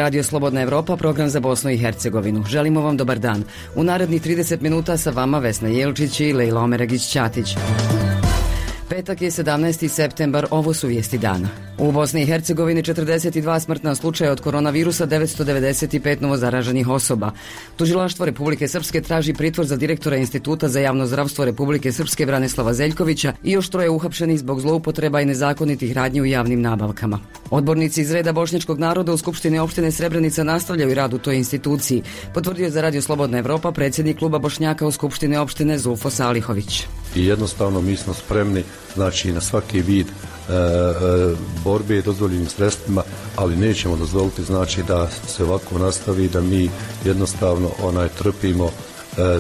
Radio Slobodna Evropa, program za Bosnu i Hercegovinu. Želimo vam dobar dan. U narednih 30 minuta sa vama Vesna Jelčić i Lejla Omeragić-Ćatić. Petak je 17. septembar, ovo su vijesti dana. U Bosni i Hercegovini 42 smrtna slučaja od koronavirusa, 995 novozaraženih osoba. Tužilaštvo Republike Srpske traži pritvor za direktora Instituta za javno zdravstvo Republike Srpske Branislava Zeljkovića i još 3 uhapšenih zbog zloupotreba i nezakonitih radnji u javnim nabavkama. Odbornici iz reda bošnjačkog naroda u Skupštini opštine Srebrenica nastavljaju rad u toj instituciji, potvrdio za Radio Slobodna Evropa predsjednik kluba Bošnjaka u Skupštini opštine Zulfo Salihović. I jednostavno mi smo spremni, znači, na svaki vid borbe dozvoljenim sredstvima, ali nećemo dozvoliti, znači, da se ovako nastavi, da mi jednostavno trpimo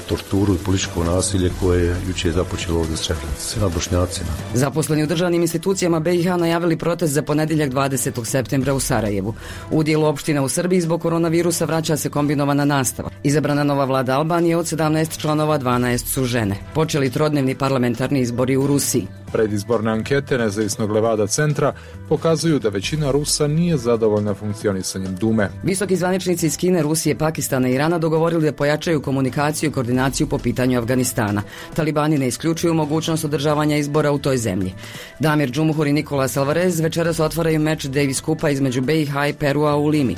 torturu i političko nasilje koje je jučer započelo ovdje Srebrenici nad Bošnjacima. Zaposleni u državnim institucijama BiH najavili protest za ponedjeljak 20. septembra u Sarajevu. U dijelu opština u Srbiji zbog koronavirusa vraća se kombinovana nastava. Izabrana nova vlada Albanije, od 17 članova 12 su žene. Počeli trodnevni parlamentarni izbori u Rusiji. Predizborne ankete nezavisnog Levada centra pokazuju da većina Rusa nije zadovoljna funkcionisanjem Dume. Visoki zvaničnici iz Kine, Rusije, Pakistana i Irana dogovorili da pojačaju komunikaciju i koordinaciju po pitanju Afganistana. Talibani ne isključuju mogućnost održavanja izbora u toj zemlji. Damir Džumhur i Nikolas Alvarez večeras otvaraju meč Davis Kupa između BiH i Perua u Limi.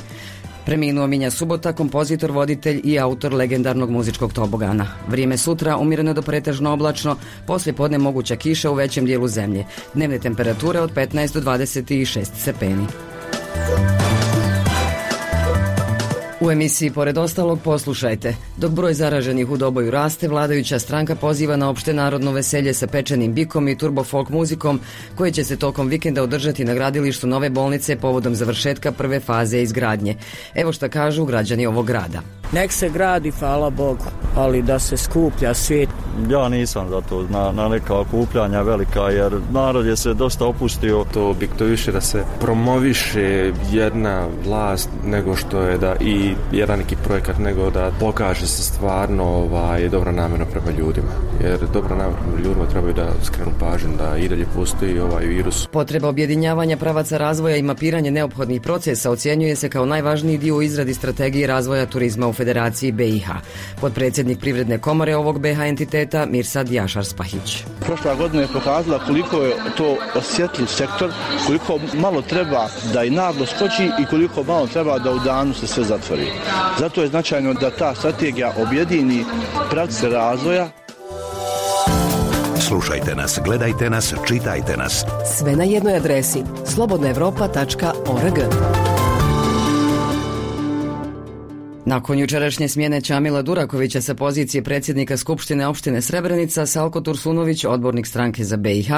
Preminuo Minja Subota, kompozitor, voditelj i autor legendarnog muzičkog tobogana. Vrijeme sutra umjereno do pretežno oblačno, poslije podne moguća kiša u većem dijelu zemlje. Dnevne temperature od 15 do 26 stepeni. U emisiji pored ostalog poslušajte. Dok broj zaraženih u Doboju raste, vladajuća stranka poziva na opšte narodno veselje sa pečenim bikom i turbo folk muzikom koje će se tokom vikenda održati na gradilištu nove bolnice povodom završetka prve faze izgradnje. Evo šta kažu građani ovog grada. Nek se gradi, hvala Bogu, ali da se skuplja svijet. Ja nisam za to na neka okupljanja velika, jer narod je se dosta opustio. To bi to više da se promoviše jedna vlast nego što je da i jedan neki projekat, nego da pokaže se stvarno dobra namjera prema ljudima. Jer dobra namjera prema ljudima trebaju da skrenu pažnju da i dalje postoji ovaj virus. Potreba objedinjavanja pravaca razvoja i mapiranje neophodnih procesa ocjenjuje se kao najvažniji dio u izradi strategije razvoja turizma u Federaciji BiH. Podpredsjednik Privredne komore ovog BiH entiteta Mirsad Jašar-Spahić. Prošla godina je pokazala koliko je to osjetljiv sektor, koliko malo treba da i naglo skoči i koliko malo treba da u danu se sve zatvori. Zato je značajno da ta strategija objedini pravce razvoja. Slušajte nas, gledajte nas, čitajte nas. Sve na jednoj adresi slobodnaevropa.org. Nakon jučerašnje smjene Čamila Durakovića sa pozicije predsjednika Skupštine opštine Srebrenica, Salko Tursunović, odbornik stranke za BiH,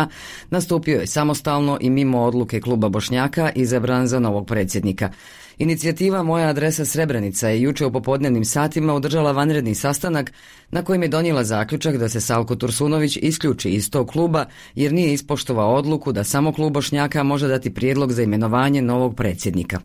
nastupio je samostalno i mimo odluke kluba Bošnjaka izabran za novog predsjednika. Inicijativa Moja adresa Srebrenica je juče u popodnevnim satima održala vanredni sastanak na kojem je donijela zaključak da se Salko Tursunović isključi iz tog kluba jer nije ispoštovao odluku da samo klub Bošnjaka može dati prijedlog za imenovanje novog predsjednika.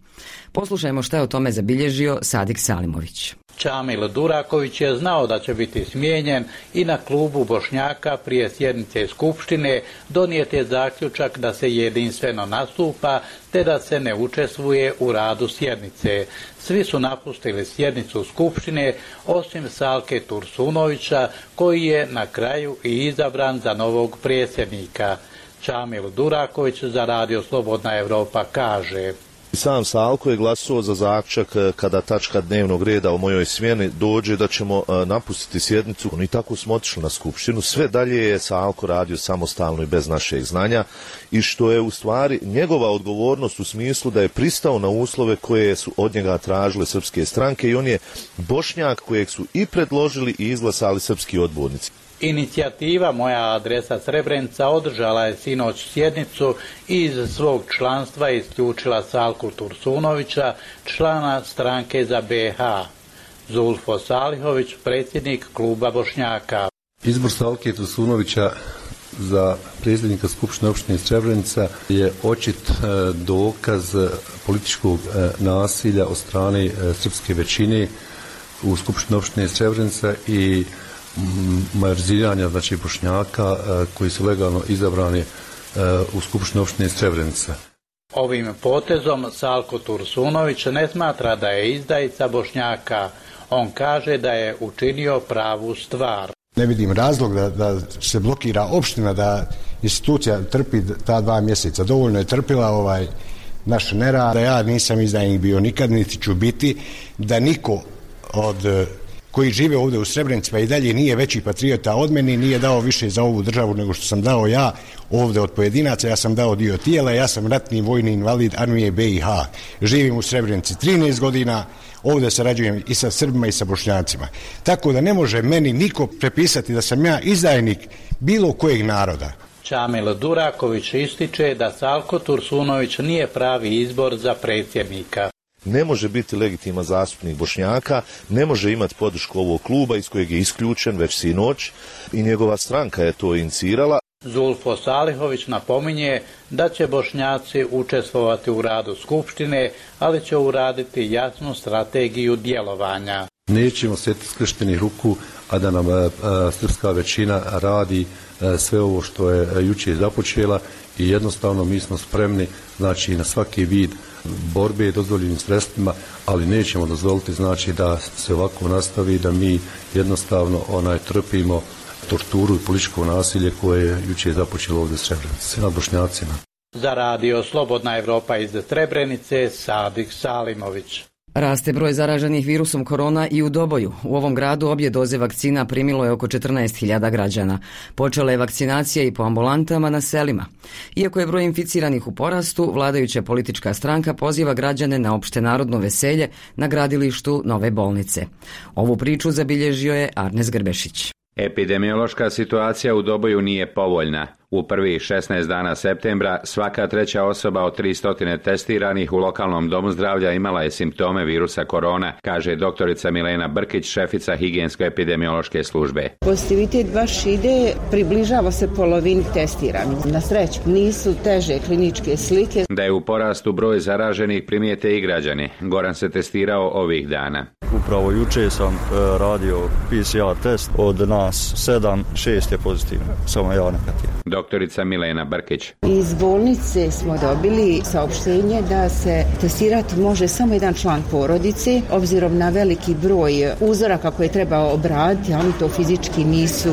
Poslušajmo šta je o tome zabilježio Sadik Salimović. Čamil Duraković je znao da će biti smijenjen i na klubu Bošnjaka prije sjednice Skupštine donijet je zaključak da se jedinstveno nastupa te da se ne učestvuje u radu sjednice. Svi su napustili sjednicu Skupštine osim Salke Tursunovića koji je na kraju i izabran za novog predsjednika. Čamil Duraković za Radio Slobodna Evropa kaže: Sam Salko je glasovao za zaključak kada tačka dnevnog reda o mojoj smjeni dođe da ćemo napustiti sjednicu. I tako smo otišli na skupštinu. Sve dalje je Salko radio samostalno i bez našeg znanja i što je u stvari njegova odgovornost u smislu da je pristao na uslove koje su od njega tražile srpske stranke i on je Bošnjak kojeg su i predložili i izglasali srpski odbornici. Inicijativa Moja adresa Srebrenica održala je sinoć sjednicu i iz svog članstva isključila Salku Tursunovića, člana stranke za BiH. Zulfo Salihović, predsjednik kluba Bošnjaka. Izbor Salke Tursunovića za predsjednika Skupštine opštine Srebrenica je očit dokaz političkog nasilja od strane srpske većine u Skupštini opštine Srebrenica i majoriziranja, znači Bošnjaka koji su legalno izabrani u Skupštini opštine Srebrenica. Ovim potezom Salko Tursunović ne smatra da je izdajica Bošnjaka. On kaže da je učinio pravu stvar. Ne vidim razlog da se blokira opština, da institucija trpi ta 2 mjeseca. Dovoljno je trpila naš nerad, da ja nisam izdajnik bio nikad, niti ću biti, da niko od koji žive ovdje u Srebrenici pa i dalje nije veći patriota od mene, nije dao više za ovu državu nego što sam dao ja ovdje od pojedinaca. Ja sam dao dio tijela, ja sam ratni vojni invalid armije BiH. Živim u Srebrenici 13 godina, ovdje sarađujem i sa Srbima i sa Bošnjacima. Tako da ne može meni niko prepisati da sam ja izdajnik bilo kojeg naroda. Čamil Duraković ističe da Salko Tursunović nije pravi izbor za predsjednika. Ne može biti legitiman zastupnik Bošnjaka, ne može imati podršku ovog kluba iz kojeg je isključen već sinoć i njegova stranka je to inicirala. Zulfo Salihović napominje da će Bošnjaci učestvovati u radu Skupštine, ali će uraditi jasnu strategiju djelovanja. Nećemo sjeti skrštenih ruku, a da nam srpska većina radi sve ovo što je jučer započela i jednostavno mi smo spremni na svaki vid borbe dozvoljenim sredstvima, ali nećemo dozvoliti da se ovako nastavi, da mi jednostavno trpimo torturu i političko nasilje koje je jučer započelo ovdje u Srebrenici nad Bošnjacima. Za radio Slobodna Evropa iz Srebrenice, Sadik Salimović. Raste broj zaraženih virusom korona i u Doboju. U ovom gradu obje doze vakcina primilo je oko 14.000 građana. Počela je vakcinacija i po ambulantama na selima. Iako je broj inficiranih u porastu, vladajuća politička stranka poziva građane na opštenarodno veselje na gradilištu nove bolnice. Ovu priču zabilježio je Arnes Grbešić. Epidemiološka situacija u Doboju nije povoljna. U prvih 16 dana septembra svaka 3. osoba od 300 testiranih u lokalnom domu zdravlja imala je simptome virusa korona, kaže doktorica Milena Brkić, šefica higijensko-epidemiološke službe. Pozitivitet baš ide, približava se polovini testiranih. Na sreću nisu teže kliničke slike. Da je u porastu broj zaraženih primijete i građani. Goran se testirao ovih dana. Upravo juče sam radio PCR test, od nas 7, 6 je pozitivno, samo ja negativan. Doktorica Milena Brkić. Iz bolnice smo dobili saopštenje da se testirati može samo jedan član porodice, obzirom na veliki broj uzoraka koje treba obraditi, a oni to fizički nisu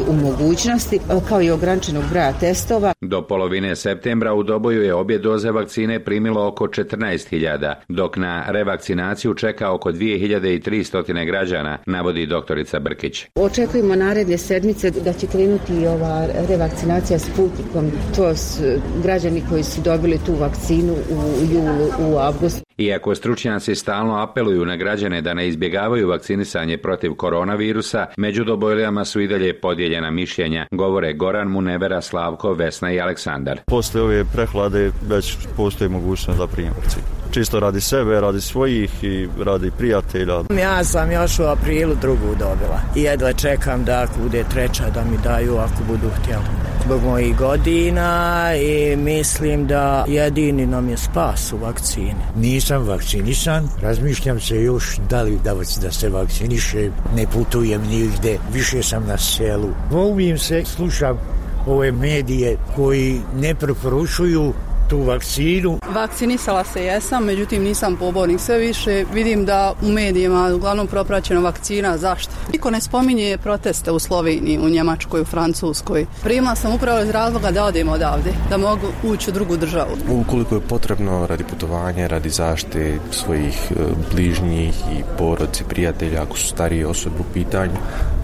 u mogućnosti, kao i ograničenog broja testova. Do polovine septembra u Doboju je obje doze vakcine primilo oko 14.000, dok na revakcinaciju čeka oko 2.300 građana, navodi doktorica Brkić. Očekujemo naredne sedmice da će krenuti ova revakcinacija Sputnikom. To su građani koji su dobili tu vakcinu u julu, u avgustu. Iako stručnjaci stalno apeluju na građane da ne izbjegavaju vakcinisanje protiv koronavirusa, među Dobojlijama su i dalje podijeljena mišljenja, govore Goran, Munevera, Slavko, Vesna i Aleksandar. Poslije ove prehlade već postoji mogućnost da primim vakcinu. Čisto radi sebe, radi svojih i radi prijatelja. Ja sam još u aprilu drugu dobila i jedva čekam da ako bude treća da mi daju ako budu htjeli. Zbog mojih godina i mislim da jedini nam je spas u vakcini. Nisam vakcinisan, razmišljam se još da li da se vakcinišem, ne putujem nigde, više sam na selu. Volim se, slušam ove medije koji ne preporučuju tu vakcinu. Vakcinisala se jesam, međutim nisam pobornik. Sve više vidim da u medijima uglavnom propraćena vakcina. Zašto? Niko ne spominje proteste u Sloveniji, u Njemačkoj, u Francuskoj. Primila sam upravo iz razloga da odem odavde, da mogu ući u drugu državu. Ukoliko je potrebno radi putovanja, radi zaštite svojih bližnjih i porodice, prijatelja, ako su starije osobe u pitanju,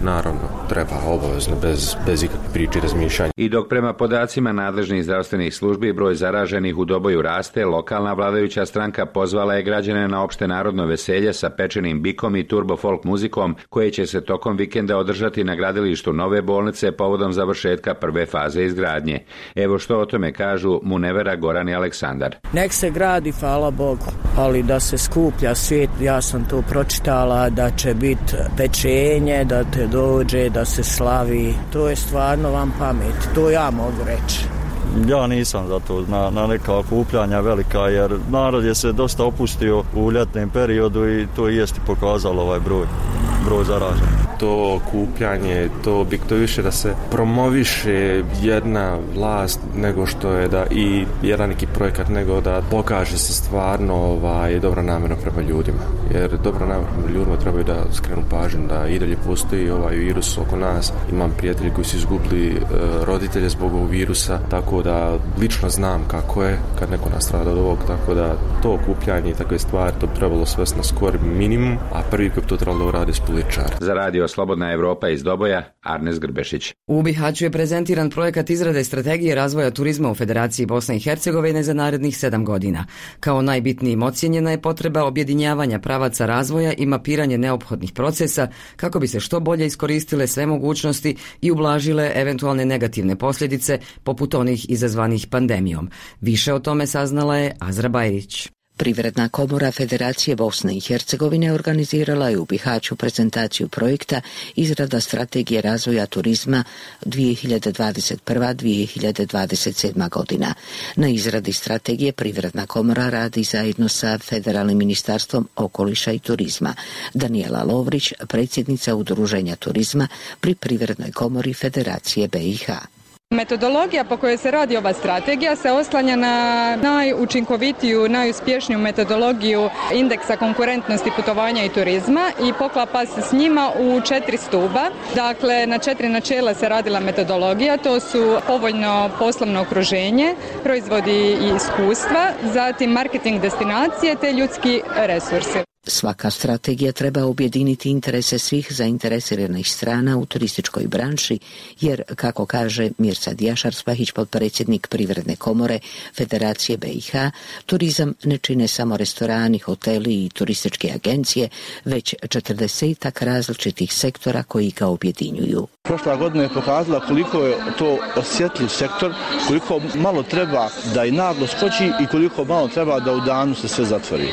naravno treba obavezno, bez ikakve priče i razmišljanja. I dok prema podacima nadležnih zdravstvenih službi broj zaraženih u Doboju raste, lokalna vladajuća stranka pozvala je građane na opšte narodno veselje sa pečenim bikom i turbo folk muzikom, koje će se tokom vikenda održati na gradilištu nove bolnice povodom završetka prve faze izgradnje. Evo što o tome kažu Munevera, Goran i Aleksandar. Nek se gradi, hvala Bogu, ali da se skuplja svijet, ja sam to pročitala da će biti pečenje, da te dođe, da se slavi. To je stvarno vam pamet, to ja mogu reći. Ja nisam za to, na neka okupljanja velika, jer narod je se dosta opustio u ljetnom periodu i to jest pokazalo ovaj broj zaraženih. to okupljanje, to više da se promoviše jedna vlast nego što je da i jedan neki projekat, nego da pokaže se stvarno dobra namjera prema ljudima. Jer dobra namjera prema ljudima trebaju da skrenu pažnju da i dalje postoji virus oko nas. Imam prijatelji koji su izgubili roditelje zbog ovog virusa, tako da lično znam kako je kad neko nastrada od ovog, tako da to okupljanje i takve stvari to bi trebalo svesti na skor minimum, a prvi koji to trebalo da uradi s političar. Za radio Slobodna Evropa iz Doboja, Arnes Grbešić. U Bihaću je prezentiran projekat izrade strategije razvoja turizma u Federaciji Bosne i Hercegovine za narednih 7 godina. Kao najbitnijim ocijenjena je potreba objedinjavanja pravaca razvoja i mapiranje neophodnih procesa kako bi se što bolje iskoristile sve mogućnosti i ublažile eventualne negativne posljedice poput onih izazvanih pandemijom. Više o tome saznala je Azra Bajrić. Privredna komora Federacije Bosne i Hercegovine organizirala je u Bihaću prezentaciju projekta izrada strategije razvoja turizma 2021-2027 godina. Na izradi strategije Privredna komora radi zajedno sa Federalnim ministarstvom okoliša i turizma. Daniela Lovrić, predsjednica Udruženja turizma pri Privrednoj komori Federacije BiH. Metodologija po kojoj se radi ova strategija se oslanja na najučinkovitiju, najuspješniju metodologiju indeksa konkurentnosti putovanja i turizma i poklapa se s njima u 4 stuba. Dakle, na 4 načela se radila metodologija, to su povoljno poslovno okruženje, proizvodi i iskustva, zatim marketing destinacije te ljudski resursi. Svaka strategija treba objediniti interese svih zainteresiranih strana u turističkoj branši, jer, kako kaže Mirsad Jašar-Spahić, potpredsjednik Privredne komore Federacije BiH, turizam ne čine samo restorani, hoteli i turističke agencije, već 40 različitih sektora koji ga objedinjuju. Prošla godina je pokazala koliko je to osjetljiv sektor, koliko malo treba da i naglo skoči i koliko malo treba da u danu se sve zatvori.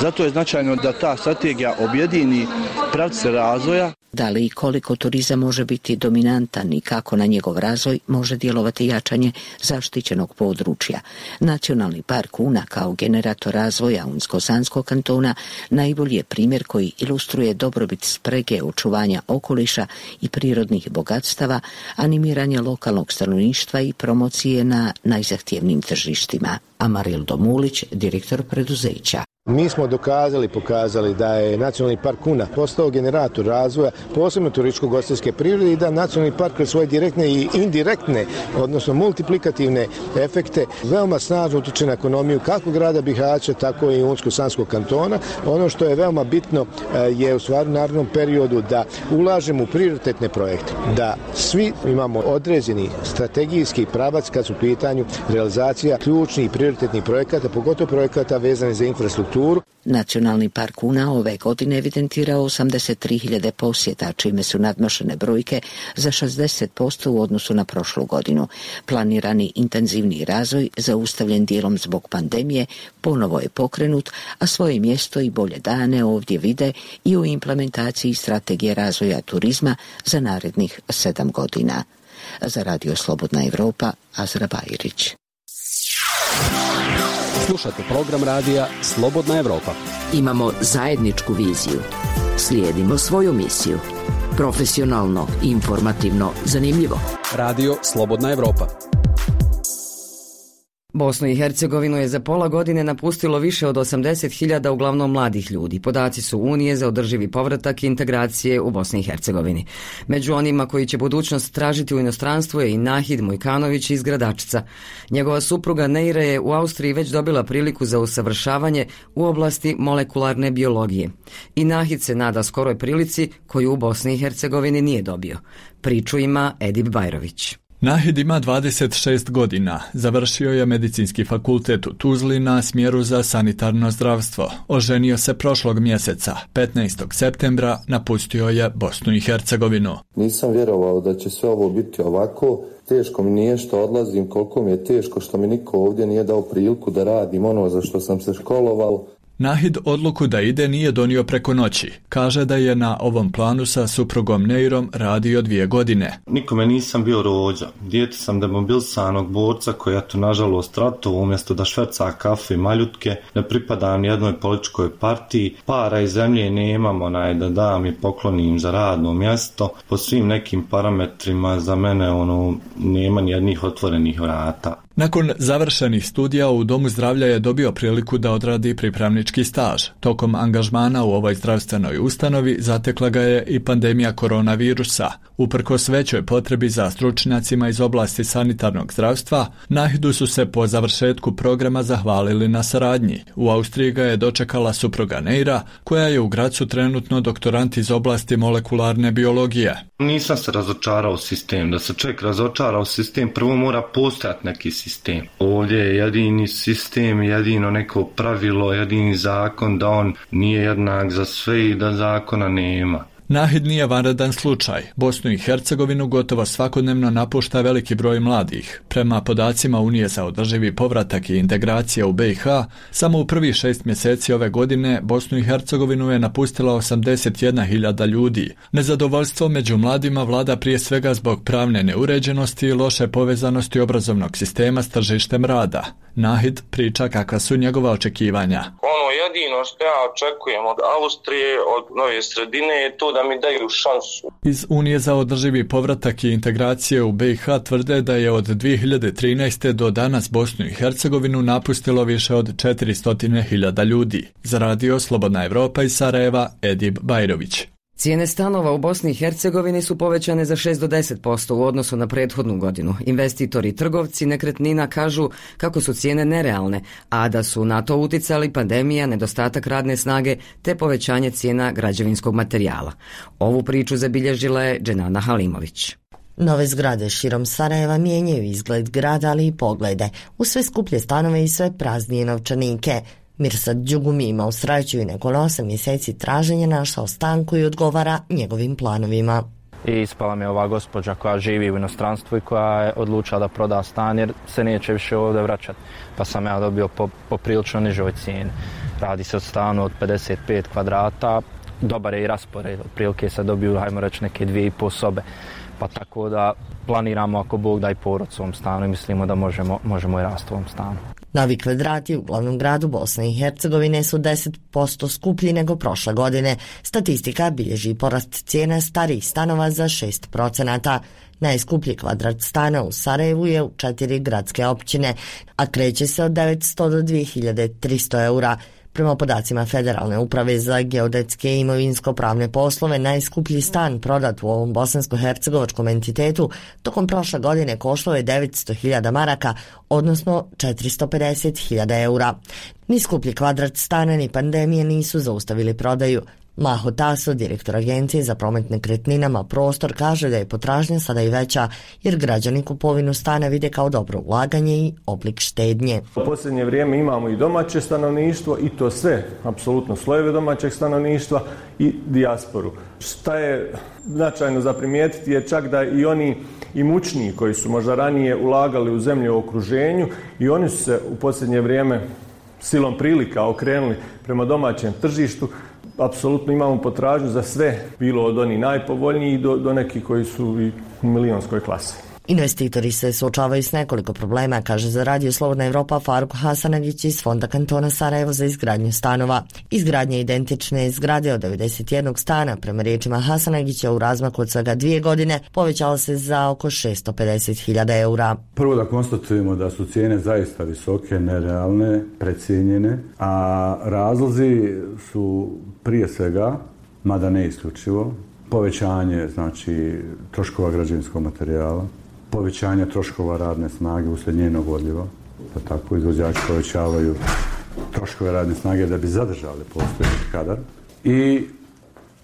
Zato je značajno da ta strategija objedini pravce razvoja. Da li i koliko turizam može biti dominantan i kako na njegov razvoj može djelovati jačanje zaštićenog područja. Nacionalni park Una kao generator razvoja Unsko-Sanskog kantona najbolji je primjer koji ilustruje dobrobit sprege očuvanja okoliša i prirodnih bogatstava, animiranje lokalnog stanovništva i promocije na najzahtjevnijim tržištima. Amarildo Mulić, direktor preduzeća. Mi smo pokazali da je Nacionalni park Una postao generator razvoja, posebno turističko-ugostiteljske prirode i da Nacionalni park kroz svoje direktne i indirektne, odnosno multiplikativne efekte, veoma snažno utiče na ekonomiju kako grada Bihaća, tako i Unsko-Sanskog kantona. Ono što je veoma bitno je u stvari u narednom periodu da ulažemo u prioritetne projekte, da svi imamo određeni strategijski pravac kad su u pitanju realizacija ključnih i prioritetnih projekata, pogotovo projekata vezanih za infrastrukturu. Nacionalni park Una ove godine evidentirao 83.000 posjeta, čime su nadmašene brojke za 60% u odnosu na prošlu godinu. Planirani intenzivni razvoj, zaustavljen dijelom zbog pandemije, ponovo je pokrenut, a svoje mjesto i bolje dane ovdje vide i u implementaciji strategije razvoja turizma za narednih 7 godina. Za Radio Slobodna Evropa, Azra Bajrić. Slušate program radija Slobodna Evropa. Imamo zajedničku viziju. Slijedimo svoju misiju. Profesionalno, informativno, zanimljivo. Radio Slobodna Evropa. Bosnu i Hercegovinu je za pola godine napustilo više od 80.000 uglavnom mladih ljudi. Podaci su Unije za održivi povratak i integracije u Bosni i Hercegovini. Među onima koji će budućnost tražiti u inostranstvu je i Nahid Mujkanović iz Gradačca. Njegova supruga Neira je u Austriji već dobila priliku za usavršavanje u oblasti molekularne biologije. I Nahid se nada skoroj prilici koju u Bosni i Hercegovini nije dobio. Priču ima Edip Bajrović. Nahid ima 26 godina, završio je medicinski fakultet u Tuzli na smjeru za sanitarno zdravstvo. Oženio se prošlog mjeseca, 15. septembra napustio je Bosnu i Hercegovinu. Nisam vjerovao da će sve ovo biti ovako, teško mi nije što odlazim, koliko mi je teško što mi niko ovdje nije dao priliku da radim ono za što sam se školovao. Nahid odluku da ide nije donio preko noći. Kaže da je na ovom planu sa suprugom Neirom radio 2 godine. Nikome nisam bio rođa. Dijete sam demobilisanog borca koji je nažalost ratovao umjesto da šverca kafe i maljutke. Ne pripadam jednoj političkoj partiji. Para i zemlje nemam da dam i poklonim za radno mjesto. Po svim nekim parametrima za mene nema nijednih otvorenih vrata. Nakon završenih studija u Domu zdravlja je dobio priliku da odradi pripravnički staž. Tokom angažmana u ovoj zdravstvenoj ustanovi zatekla ga je i pandemija koronavirusa. Uprkos većoj potrebi za stručnjacima iz oblasti sanitarnog zdravstva, Nahidu su se po završetku programa zahvalili na saradnji. U Austriji ga je dočekala supruga Neira, koja je u Gracu trenutno doktorant iz oblasti molekularne biologije. Nisam se razočarao u sistem. Da se čovjek razočara u sistem, prvo mora postojati neki sistem. Ovdje je jedini sistem, jedino neko pravilo, jedini zakon da on nije jednak za sve i da zakona nema. Nahid nije vanredan slučaj. Bosnu i Hercegovinu gotovo svakodnevno napušta veliki broj mladih. Prema podacima Unije za održivi povratak i integracija u BiH, samo u prvih 6 mjeseci ove godine Bosnu i Hercegovinu je napustila 81.000 ljudi. Nezadovoljstvo među mladima vlada prije svega zbog pravne neuređenosti i loše povezanosti obrazovnog sistema s tržištem rada. Nahid priča kakva su njegova očekivanja. Jedino što ja očekujem od Austrije, od nove sredine je to da mi daju šansu. Iz Unije za održivi povratak i integracije u BiH tvrde da je od 2013. do danas Bosnu i Hercegovinu napustilo više od 400.000 ljudi. Za radio Slobodna Evropa iz Sarajeva, Edib Bajrović. Cijene stanova u Bosni i Hercegovini su povećane za 6 do 10% u odnosu na prethodnu godinu. Investitori i trgovci nekretnina kažu kako su cijene nerealne, a da su na to uticali pandemija, nedostatak radne snage te povećanje cijena građevinskog materijala. Ovu priču zabilježila je Dženana Halimović. Nove zgrade širom Sarajeva mijenjaju izgled grada, ali i poglede, u sve skuplje stanove i sve praznije novčanike. Mirsad Đugumi ima u sreću i nakon 8 mjeseci traženja našao stanku i odgovara njegovim planovima. I ispala mi je ova gospođa koja živi u inostranstvu i koja je odlučila da proda stan jer se neće više ovdje vraćati. Pa sam ja dobio po prilično nižoj cijeni. Radi se o stanu od 55 kvadrata, dobar je i raspored, otprilike se dobiju, hajmo reći, neke 2,5 sobe. Pa tako da planiramo ako Bog da i porod u ovom stanu i mislimo da možemo i rasti u ovom stanu. Novi kvadrati u glavnom gradu Bosne i Hercegovine su 10% skuplji nego prošle godine. Statistika bilježi porast cijena starijih stanova za 6%. Najskuplji kvadrat stana u Sarajevu je u 4 gradske općine, a kreće se od 900 do 2300 eura. Prema podacima Federalne uprave za geodetske i imovinsko-pravne poslove, najskuplji stan prodat u ovom bosansko-hercegovačkom entitetu tokom prošle godine koštao je 900.000 maraka, odnosno 450.000 eura. Ni skuplji kvadrat stana ni pandemije nisu zaustavili prodaju. Maho Taso, direktor Agencije za promet nekretninama Prostor, kaže da je potražnja sada i veća jer građani kupovinu stana vide kao dobro ulaganje i oblik štednje. U posljednje vrijeme imamo i domaće stanovništvo i to sve, apsolutno slojeve domaćeg stanovništva i dijasporu. Šta je značajno za primijetiti je čak da i oni imućniji koji su možda ranije ulagali u zemlje u okruženju i oni su se u posljednje vrijeme silom prilika okrenuli prema domaćem tržištu. Apsolutno imamo potražnju za sve, bilo od onih najpovoljnijih do nekih koji su i u milionskoj klasi. Investitori se suočavaju s nekoliko problema, kaže za radio Slobodna Evropa Faruk Hasanagić iz Fonda kantona Sarajevo za izgradnju stanova. Izgradnja identične zgrade od 91 stana, prema riječima Hasanagića, u razmaku od svega 2 godine povećala se za oko 650.000 eura. Prvo da konstatujemo da su cijene zaista visoke, nerealne, precijenjene, a razlozi su prije svega, mada ne isključivo, povećanje troškova građevinskog materijala, povećanje troškova radne snage uslijed njenog odljeva, pa tako izvođači povećavaju troškove radne snage da bi zadržali postojeći kadar i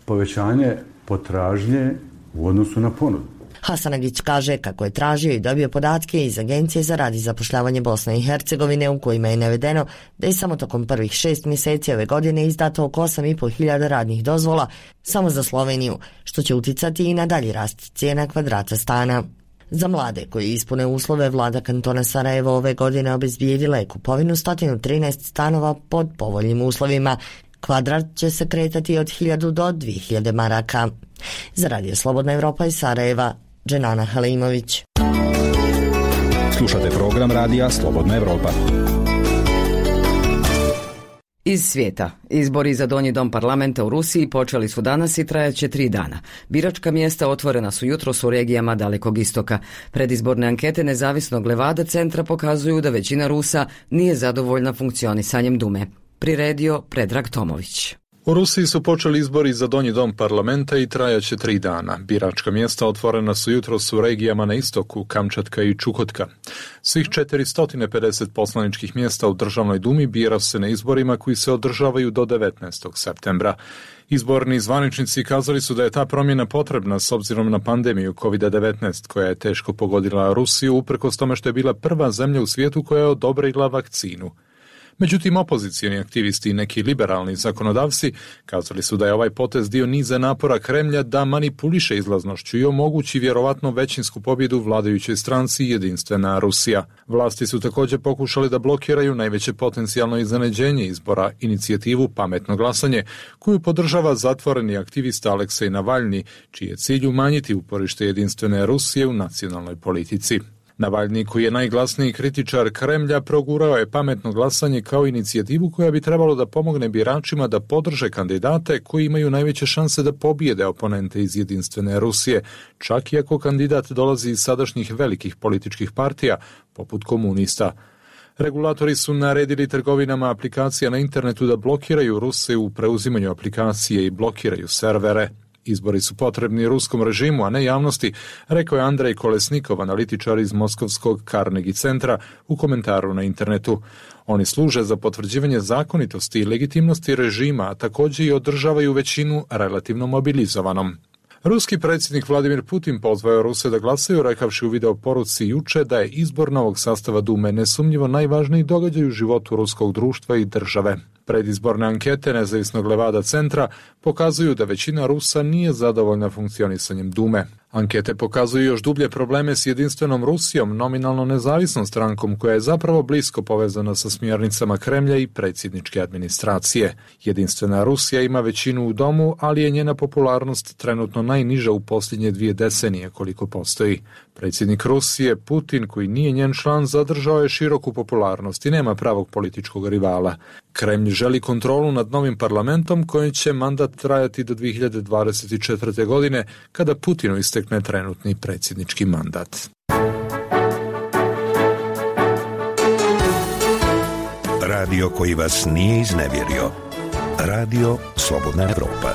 povećanje potražnje u odnosu na ponudu. Hasanagić kaže kako je tražio i dobio podatke iz Agencije za rad i zapošljavanje Bosne i Hercegovine u kojima je navedeno da je samo tokom prvih 6 mjeseci ove godine izdato oko 8.500 radnih dozvola samo za Sloveniju, što će uticati i na dalji rast cijena kvadrata stana. Za mlade koji ispune uslove, vlada kantona Sarajevo ove godine obezbijedila je kupovinu 113 stanova pod povoljnim uslovima. Kvadrat će se kretati od 1000 do 2000 maraka. Za Radio Slobodna Evropa iz Sarajeva, Dženana Halimović. Slušate program Radija Slobodna Evropa. Iz svijeta. Izbori za donji dom parlamenta u Rusiji počeli su danas i trajaće 3 dana. Biračka mjesta otvorena su jutros u regijama Dalekog istoka. Predizborne ankete nezavisnog Levada centra pokazuju da većina Rusa nije zadovoljna funkcionisanjem Dume. Priredio Predrag Tomović. U Rusiji su počeli izbori za donji dom parlamenta i trajaće 3 dana. Biračka mjesta otvorena su jutros u regijama na istoku, Kamčatka i Čukotka. Svih 450 poslaničkih mjesta u državnoj dumi bira se na izborima koji se održavaju do 19. septembra. Izborni zvaničnici kazali su da je ta promjena potrebna s obzirom na pandemiju COVID-19 koja je teško pogodila Rusiju uprkos tome što je bila prva zemlja u svijetu koja je odobrila vakcinu. Međutim, opozicijni aktivisti i neki liberalni zakonodavci kazali su da je ovaj potez dio niza napora Kremlja da manipuliše izlaznošću i omogući vjerovatno većinsku pobjedu vladajućoj stranci Jedinstvena Rusija. Vlasti su također pokušali da blokiraju najveće potencijalno iznenađenje izbora, inicijativu Pametno glasanje, koju podržava zatvoreni aktivista Aleksej Navalni, čiji je cilj umanjiti uporište Jedinstvene Rusije u nacionalnoj politici. Navalni, koji je najglasniji kritičar Kremlja, progurao je pametno glasanje kao inicijativu koja bi trebalo da pomogne biračima da podrže kandidate koji imaju najveće šanse da pobijede oponente iz Jedinstvene Rusije, čak i ako kandidat dolazi iz sadašnjih velikih političkih partija, poput komunista. Regulatori su naredili trgovinama aplikacija na internetu da blokiraju Ruse u preuzimanju aplikacije i blokiraju servere. Izbori su potrebni ruskom režimu, a ne javnosti, rekao je Andrej Kolesnikov, analitičar iz Moskovskog Carnegie centra, u komentaru na internetu. Oni služe za potvrđivanje zakonitosti i legitimnosti režima, a također i održavaju većinu relativno mobilizovanom. Ruski predsjednik Vladimir Putin pozvao Ruse da glasaju, rekavši u video poruci juče da je izbor novog sastava Dume nesumnjivo najvažniji događaj u životu ruskog društva i države. Predizborne ankete nezavisnog Levada centra pokazuju da većina Rusa nije zadovoljna funkcionisanjem Dume. Ankete pokazuju još dublje probleme s Jedinstvenom Rusijom, nominalno nezavisnom strankom koja je zapravo blisko povezana sa smjernicama Kremlja i predsjedničke administracije. Jedinstvena Rusija ima većinu u domu, ali je njena popularnost trenutno najniža u posljednje 2 decenije koliko postoji. Predsjednik Rusije, Putin, koji nije njen član, zadržao je široku popularnost i nema pravog političkog rivala. Kremlj želi kontrolu nad novim parlamentom kojim će mandat trajati do 2024. godine, kada Putinu istekne trenutni predsjednički mandat. Radio koji vas nije iznevjerio. Radio Slobodna Evropa.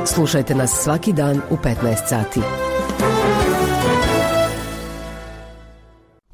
Slušajte nas svaki dan u 15 sati.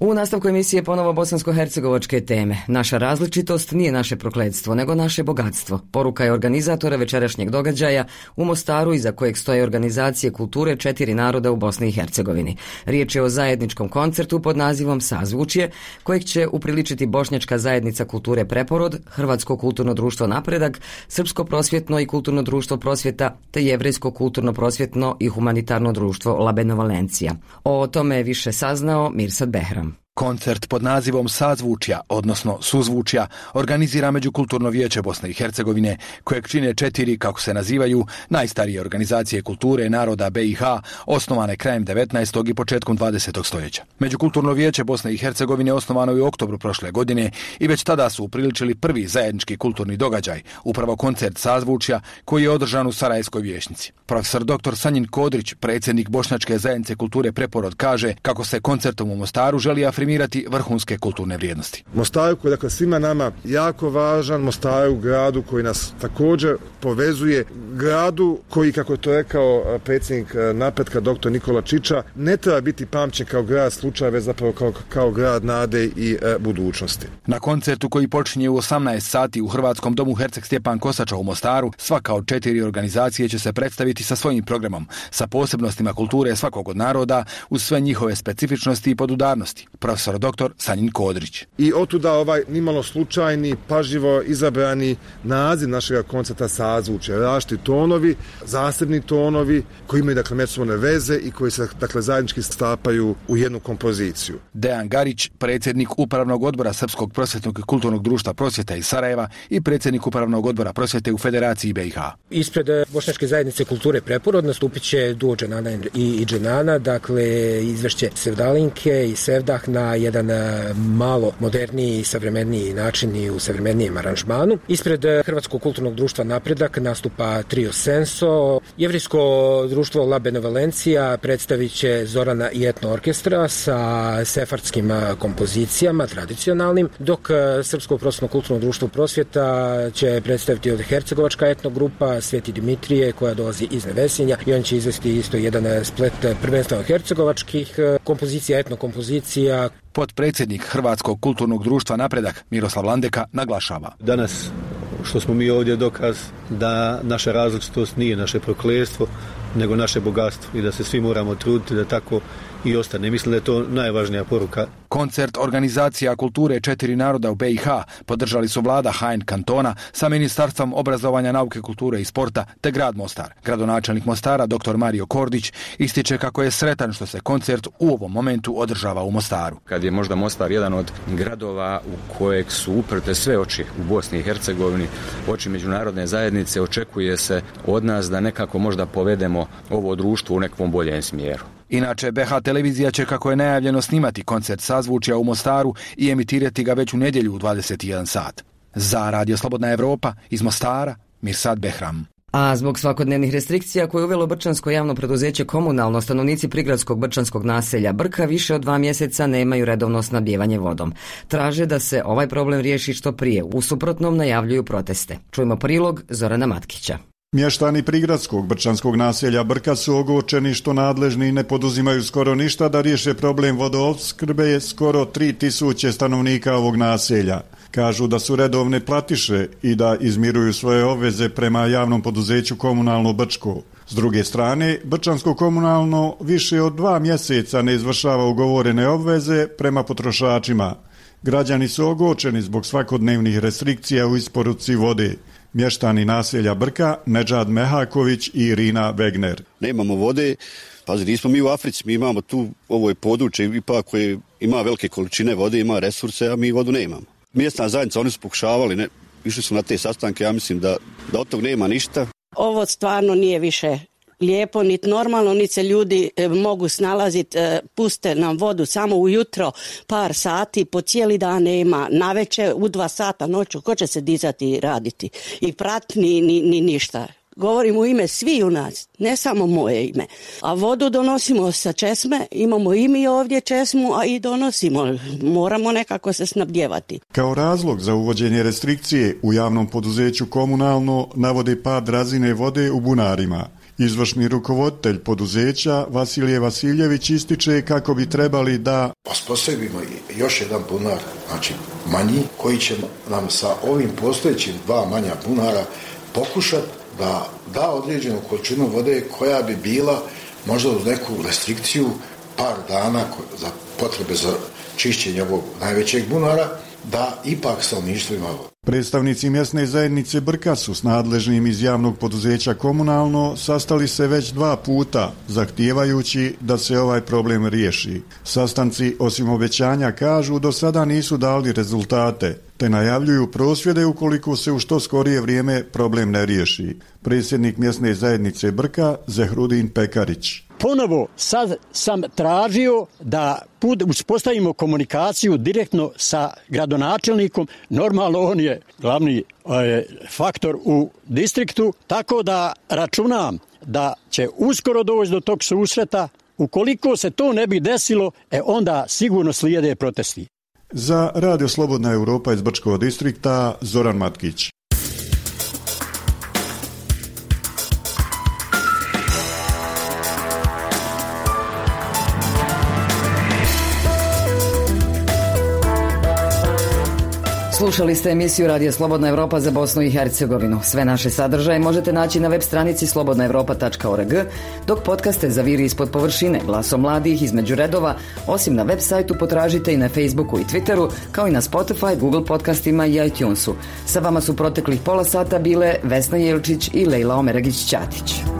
U nastavku emisije ponovo bosansko-hercegovačke teme. Naša različitost nije naše prokletstvo, nego naše bogatstvo. Poruka je organizatora večerašnjeg događaja u Mostaru, iza kojeg stoje organizacije kulture 4 naroda u Bosni i Hercegovini. Riječ je o zajedničkom koncertu pod nazivom Sazvučje, kojeg će upriličiti Bošnjačka zajednica kulture Preporod, Hrvatsko kulturno društvo Napredak, Srpsko prosvjetno i kulturno društvo Prosvjeta, te Jevrejsko kulturno prosvjetno i humanitarno društvo Labeno Valencija. O tome je više saznao Mirsad Behram. Koncert pod nazivom Sazvučja, odnosno Suzvučja, organizira Međukulturno vijeće Bosne i Hercegovine, kojeg čine 4, kako se nazivaju, najstarije organizacije kulture naroda BiH, osnovane krajem 19. i početkom 20. stoljeća. Međukulturno vijeće Bosne i Hercegovine osnovano je u oktobru prošle godine i već tada su upriličili prvi zajednički kulturni događaj, upravo koncert Sazvučja, koji je održan u Sarajevskoj vijećnici. Profesor dr. Sanjin Kodrić, predsjednik Bošnjačke zajednice kulture Preporod, kaže kako se koncertom u Mostaru želi afirmirati vrhunske kulturne vrijednosti. Mostaru koji je dakle svima nama jako važan, Mostaru gradu koji nas također povezuje, gradu koji, kako je to rekao predsjednik Napretka dr. Nikola Čiča, ne treba biti pamćen kao grad slučaja, već zapravo kao grad nade i budućnosti. Na koncertu koji počinje u 18 sati u Hrvatskom domu Herceg Stjepan Kosača u Mostaru, svaka od 4 organizacije će se predstaviti sa svojim programom, sa posebnostima kulture svakog od naroda, uz sve njihove specifičnosti i podudarnosti. profesor dr. Sanjin Kodrić. I otuda ovaj nimalo slučajni, pažljivo izabrani naziv našeg koncerta sazvučje, različiti tonovi, zasebni tonovi koji imaju dakle međusobne veze i koji se dakle zajednički stapaju u jednu kompoziciju. Dejan Garić, predsjednik Upravnog odbora Srpskog prosvjetnog i kulturnog društva prosvjeta iz Sarajeva i predsjednik Upravnog odbora prosvjete u Federaciji BiH. Ispred Bošnjačke zajednice kulture Preporod nastupit će duo Dženana i Dženana, dakle izvešće Sevdalinke i Sevdah na jedan malo moderniji i savremeniji način i u savremenijem aranžmanu. Ispred Hrvatskog kulturnog društva Napredak nastupa trio Senso. Jevrijsko društvo La Benevolencija predstavit će Zorana i etno orkestra sa sefardskim kompozicijama tradicionalnim, dok Srpsko prosvjetno kulturno društvo prosvjeta će predstaviti od hercegovačka etno grupa Sveti Dimitrije koja dolazi iz Nevesinja i on će izvesti isto jedan splet prvenstveno hercegovačkih kompozicija, etno kompozicija. Potpredsjednik Hrvatskog kulturnog društva Napredak Miroslav Landeka naglašava. Danas što smo mi ovdje dokaz da naša različitost nije naše prokletstvo, nego naše bogatstvo i da se svi moramo truditi da tako i ostane. Mislim da je to najvažnija poruka. Koncert Organizacija kulture 4 naroda u BiH podržali su vlada HN kantona sa Ministarstvom obrazovanja, nauke, kulture i sporta te grad Mostar. Gradonačelnik Mostara dr. Mario Kordić ističe kako je sretan što se koncert u ovom momentu održava u Mostaru. Kad je možda Mostar jedan od gradova u kojeg su uprte sve oči u Bosni i Hercegovini, oči međunarodne zajednice, očekuje se od nas da nekako možda povedemo ovo društvo u nekom boljem smjeru. Inače, BH televizija će, kako je najavljeno, snimati koncert sazvučja u Mostaru i emitirati ga već u nedjelju u 21 sat. Za Radio Slobodna Evropa iz Mostara, Mirsad Behram. A zbog svakodnevnih restrikcija koje je uvelo Brčansko javno preduzeće Komunalno, stanovnici prigradskog brčanskog naselja Brka više od 2 mjeseca nemaju redovno snabdijevanje vodom. Traže da se ovaj problem riješi što prije, u suprotnom najavljuju proteste. Čujmo prilog Zorana Matkića. Mještani prigradskog brčanskog naselja Brka su ogorčeni što nadležni ne poduzimaju skoro ništa da riješe problem vodoopskrbe skoro 3000 stanovnika ovog naselja. Kažu da su redovne platiše i da izmiruju svoje obveze prema javnom poduzeću Komunalno Brčko. S druge strane, Brčansko komunalno više od 2 mjeseca ne izvršava ugovorene obveze prema potrošačima. Građani su ogorčeni zbog svakodnevnih restrikcija u isporuci vode. Mještani naselja Brka, Nedžad Mehaković i Irina Wegner. Nemamo vode, pazi, nismo mi u Africi, mi imamo tu, ovo je područje ipak koje ima velike količine vode, ima resurse, a mi vodu nemamo. Mjesna zajednica, oni su pokušavali, išli su na te sastanke, ja mislim da od tog nema ništa. Ovo stvarno nije više lijepo, niti normalno, niti se ljudi mogu snalaziti, puste nam vodu samo ujutro par sati, po cijeli dan nema, navečer u 2 sata noću, ko će se dizati i raditi i prat ni ništa. Govorim u ime svi u nas, ne samo moje ime. A vodu donosimo sa česme, imamo i mi ovdje česmu, a i donosimo. Moramo nekako se snabdjevati. Kao razlog za uvođenje restrikcije u javnom poduzeću Komunalno navode pad razine vode u bunarima. Izvršni rukovoditelj poduzeća Vasilije Vasiljević ističe kako bi trebali da osposobimo još jedan bunar, znači manji, koji će nam sa ovim postojećim 2 manja bunara pokušati da određenu količinu vode koja bi bila možda uz neku restrikciju par dana za potrebe za čišćenje ovog najvećeg bunara, da ipak stanovništvo ima vodu. Predstavnici mjesne zajednice Brka su s nadležnim iz javnog poduzeća Komunalno sastali se već 2 puta, zahtijevajući da se ovaj problem riješi. Sastanci, osim obećanja, kažu, do sada nisu dali rezultate, te najavljuju prosvjede ukoliko se u što skorije vrijeme problem ne riješi. Predsjednik mjesne zajednice Brka, Zehrudin Pekarić. Ponovo sad sam tražio da uspostavimo komunikaciju direktno sa gradonačelnikom. Normalno on je glavni faktor u distriktu, tako da računam da će uskoro doći do tog susreta. Ukoliko se to ne bi desilo, onda sigurno slijede protesti. Za Radio Slobodna Europa iz Brčkog distrikta, Zoran Matkić. Slušali ste emisiju Radija Slobodna Evropa za Bosnu i Hercegovinu. Sve naše sadržaje možete naći na web stranici slobodnaevropa.org, dok podcaste Zaviri ispod površine, Glasom mladih, Između redova, osim na web sajtu potražite i na Facebooku i Twitteru, kao i na Spotify, Google podcastima i iTunesu. Sa vama su proteklih pola sata bile Vesna Jelčić i Lejla Omeragić-Ćatić.